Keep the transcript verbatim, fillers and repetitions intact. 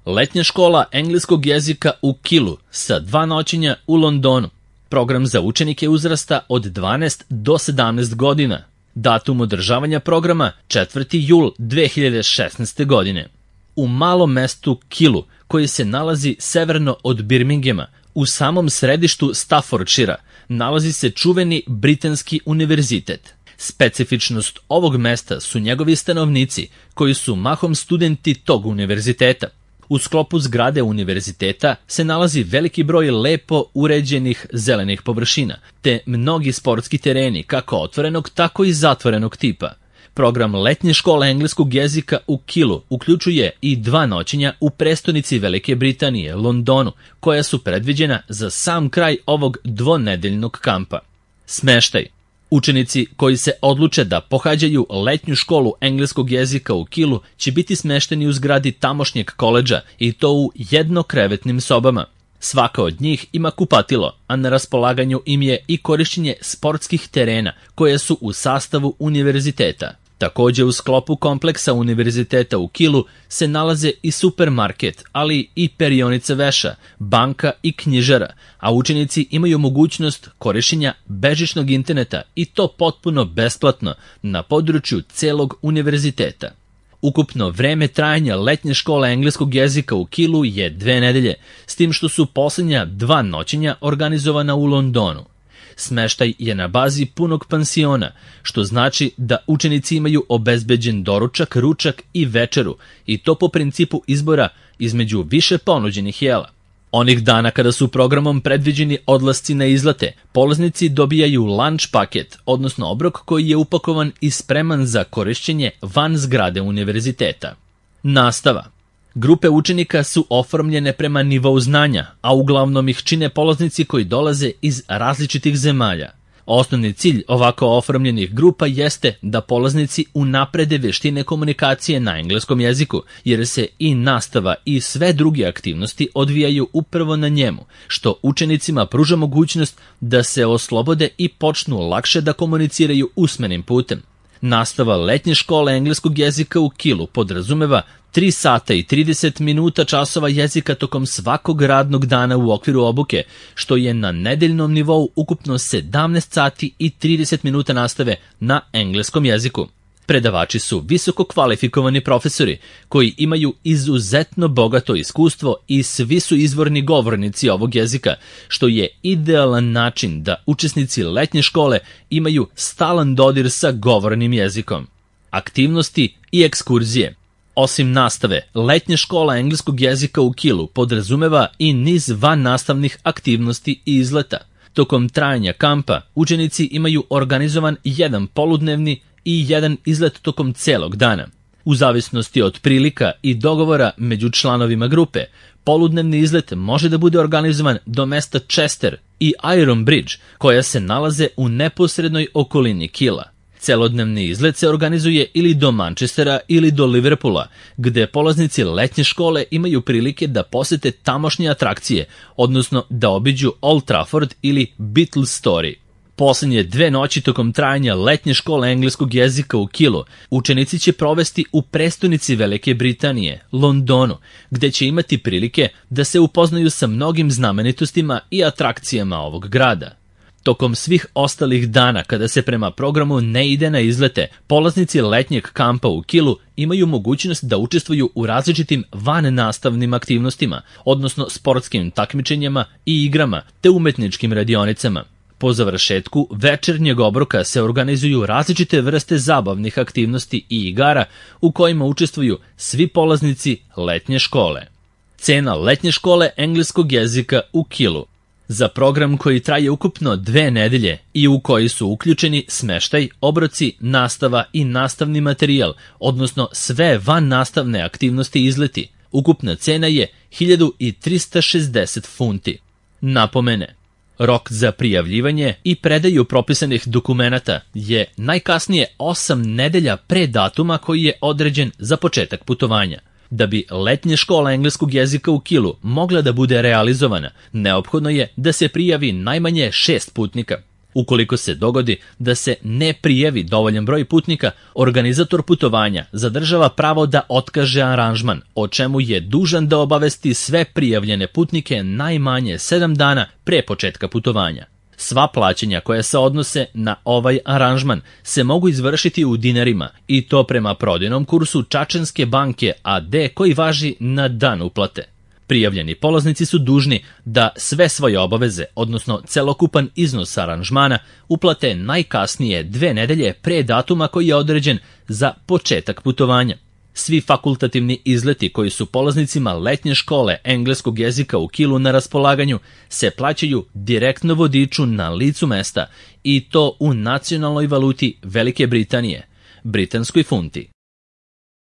Letnja škola engleskog jezika u Killu sa dva noćenja u Londonu. Program za učenike uzrasta od dvanaest do sedamnaest godina. Datum održavanja programa četvrti jul dve hiljade šesnaeste. godine. U malom mestu Killu, koji se nalazi severno od Birminghama, u samom središtu Staffordshira, nalazi se čuveni Britanski univerzitet. Specifičnost ovog mesta su njegovi stanovnici, koji su mahom studenti tog univerziteta. U sklopu zgrade univerziteta se nalazi veliki broj lepo uređenih zelenih površina, te mnogi sportski tereni, kako otvorenog, tako i zatvorenog tipa. Program letnje škole engleskog jezika u Killu uključuje i dva noćenja u prestonici Velike Britanije, Londonu, koja su predviđena za sam kraj ovog dvonedeljnog kampa. Smeštaj. Učenici koji se odluče da pohađaju letnju školu engleskog jezika u Killu će biti smešteni u zgradi tamošnjeg koledža i to u jednokrevetnim sobama. Svaka od njih ima kupatilo, a na raspolaganju im je i korišćenje sportskih terena koje su u sastavu univerziteta. Također u sklopu kompleksa univerziteta u Killu se nalaze i supermarket, ali i perionica veša, banka i knjižara, a učenici imaju mogućnost korišćenja bežičnog interneta i to potpuno besplatno na području celog univerziteta. Ukupno vreme trajanja letnje škole engleskog jezika u Killu je dve nedelje, s tim što su posljednja dva noćenja organizovana u Londonu. Smeštaj je na bazi punog pansiona, što znači da učenici imaju obezbeđen doručak, ručak i večeru, i to po principu izbora između više ponuđenih jela. Onih dana kada su programom predviđeni odlasci na izlete, polaznici dobijaju lunch paket, odnosno obrok koji je upakovan i spreman za korišćenje van zgrade univerziteta. Nastava. Grupe učenika su oformljene prema nivou znanja, a uglavnom ih čine polaznici koji dolaze iz različitih zemalja. Osnovni cilj ovako oformljenih grupa jeste da polaznici unaprede vještine komunikacije na engleskom jeziku, jer se i nastava i sve druge aktivnosti odvijaju upravo na njemu, što učenicima pruža mogućnost da se oslobode i počnu lakše da komuniciraju usmenim putem. Nastava letnje škole engleskog jezika u Killu podrazumeva tri sata i trideset minuta časova jezika tokom svakog radnog dana u okviru obuke, što je na nedeljnom nivou ukupno sedamnaest sati i trideset minuta nastave na engleskom jeziku. Predavači su visoko kvalifikovani profesori koji imaju izuzetno bogato iskustvo i svi su izvorni govornici ovog jezika, što je idealan način da učesnici letnje škole imaju stalan dodir sa govornim jezikom. Aktivnosti i ekskurzije. Osim nastave, letnja škola engleskog jezika u Killu podrazumeva i niz van nastavnih aktivnosti i izleta. Tokom trajanja kampa učenici imaju organizovan jedan poludnevni i jedan izlet tokom celog dana. U zavisnosti od prilika i dogovora među članovima grupe, poludnevni izlet može da bude organizovan do mesta Chester i Iron Bridge, koja se nalaze u neposrednoj okolini Killa. Celodnevni izlet se organizuje ili do Manchestera ili do Liverpoola, gde polaznici letnje škole imaju prilike da posete tamošnje atrakcije, odnosno da obiđu Old Trafford ili Beatles Story. Posljednje dve noći tokom trajanja letnje škole engleskog jezika u Killu učenici će provesti u prestonici Velike Britanije, Londonu, gde će imati prilike da se upoznaju sa mnogim znamenitostima i atrakcijama ovog grada. Tokom svih ostalih dana kada se prema programu ne ide na izlete, polaznici letnjeg kampa u Killu imaju mogućnost da učestvuju u različitim vannastavnim aktivnostima, odnosno sportskim takmičenjima i igrama te umetničkim radionicama. Po završetku večernjeg obroka se organizuju različite vrste zabavnih aktivnosti i igara u kojima učestvuju svi polaznici letnje škole. Cena letnje škole engleskog jezika u Killu. Za program koji traje ukupno dve nedelje i u koji su uključeni smeštaj, obroci, nastava i nastavni materijal, odnosno sve van nastavne aktivnosti i izleti, ukupna cena je hiljadu trista šezdeset funti. Napomene. Rok za prijavljivanje i predaju propisanih dokumenata je najkasnije osam nedelja pre datuma koji je određen za početak putovanja. Da bi letnja škola engleskog jezika u Killu mogla da bude realizovana, neophodno je da se prijavi najmanje šest putnika. Ukoliko se dogodi da se ne prijavi dovoljan broj putnika, organizator putovanja zadržava pravo da otkaže aranžman, o čemu je dužan da obavesti sve prijavljene putnike najmanje sedam dana pre početka putovanja. Sva plaćanja koja se odnose na ovaj aranžman se mogu izvršiti u dinarima i to prema prodajnom kursu Čačanske banke a de koji važi na dan uplate. Prijavljeni polaznici su dužni da sve svoje obaveze, odnosno celokupan iznos aranžmana, uplate najkasnije dve nedelje pre datuma koji je određen za početak putovanja. Svi fakultativni izleti koji su polaznicima letnje škole engleskog jezika u Kielu na raspolaganju se plaćaju direktno vodiču na licu mesta i to u nacionalnoj valuti Velike Britanije, britanskoj funti.